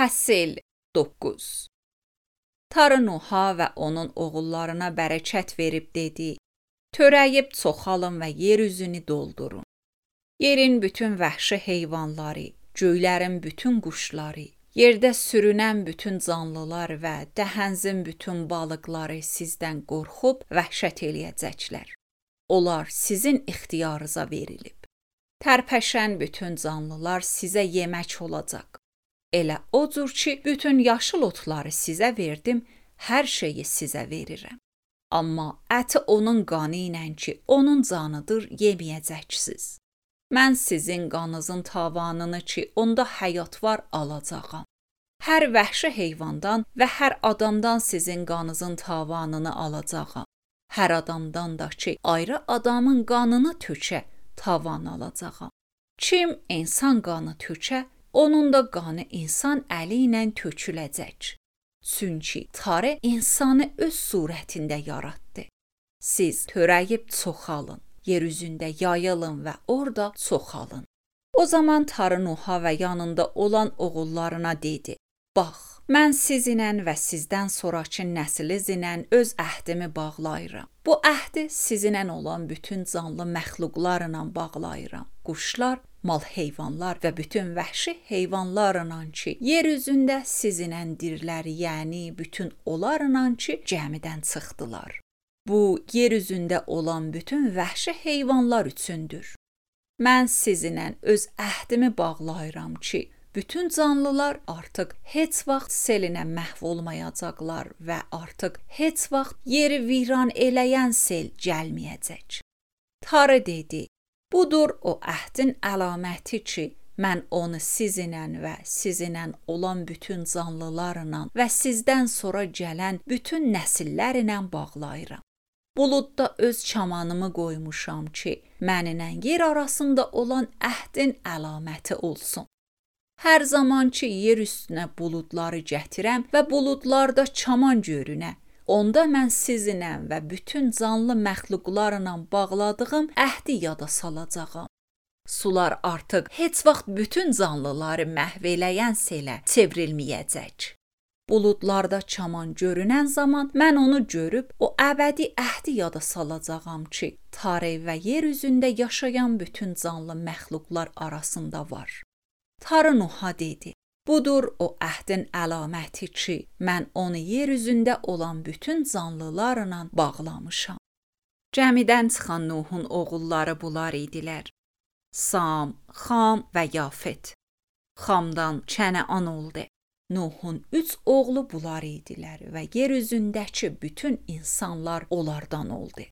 Fəsil 9. Tarı Nuha və onun oğullarına bərəkət verib dedi: Törəyib çoxalın və yer üzünü doldurun. Yerin bütün vəhşi heyvanları, göylərin bütün quşları, yerdə sürünən bütün canlılar və dəhənzin bütün balıqları sizdən qorxub vəhşət eləyəcəklər. Onlar sizin ixtiyarınıza verilib. Tərpəşən bütün canlılar sizə yemək olacaq. Elə o cür ki, bütün yaşıl otları sizə verdim, hər şeyi sizə verirəm. Amma əti onun qanı ilə ki, onun canıdır, yeməyəcəksiniz. Mən sizin qanınızın tavanını ki, onda həyat var, alacağam. Hər vəhşi heyvandan və hər adamdan sizin qanınızın tavanını alacağam. Hər adamdan da ki, ayrı adamın qanını tökə, tavan alacağam. Kim insan qanı tökə, onun da qanı insan əli ilə töküləcək. Çünki Tarı insanı öz surətində yaratdı. Siz törəyib çoxalın, yer üzündə yayılın və orada çoxalın. O zaman Tarı Nuha və yanında olan oğullarına dedi: Bax, mən sizinlə və sizdən sonrakı nəslinizlə öz əhdimi bağlayıram. Bu əhdi sizinlə olan bütün canlı məxluqlarla bağlayıram. Quşlar, mal heyvanlar və bütün vəhşi heyvanlarla ki, yer üzündə sizinlə dirilər, yəni bütün onlarla ki, gəmidən çıxdılar. Bu, yer üzündə olan bütün vəhşi heyvanlar üçündür. Mən sizinlə öz əhdimi bağlayıram ki, bütün canlılar artıq heç vaxt selinə məhv olmayacaqlar və artıq heç vaxt yeri viran eləyən sel gəlməyəcək. Tarı dedi: Budur o əhdin əlaməti ki, mən onu sizinlə və sizinlə olan bütün canlılarla və sizdən sonra gələn bütün nəsillərlə bağlayıram. Buludda öz çamanımı qoymuşam ki, mənimlə yer arasında olan əhdin əlaməti olsun. Hər zaman ki, yer üstünə buludları gətirəm və buludlarda çaman görünə, onda mən sizinlə və bütün canlı məxluqlarla bağladığım əhdi yada salacağam. Sular artıq heç vaxt bütün canlıları məhv eləyən selə çevrilməyəcək. Buludlarda çaman görünən zaman mən onu görüb o əbədi əhdi yada salacağam ki, Tarı və yer üzündə yaşayan bütün canlı məxluqlar arasında var. Tarı Nuha dedi: Budur o əhdin əlaməti ki, mən onu yer üzündə olan bütün canlılarla bağlamışam. Gəmidən çıxan Nuhun oğulları bunlar idilər: Sam, Xam və Yafet. Xamdan Kənəan oldu. Nuhun 3 oğlu bunlar idilər və yer üzündəki bütün insanlar onlardan oldu.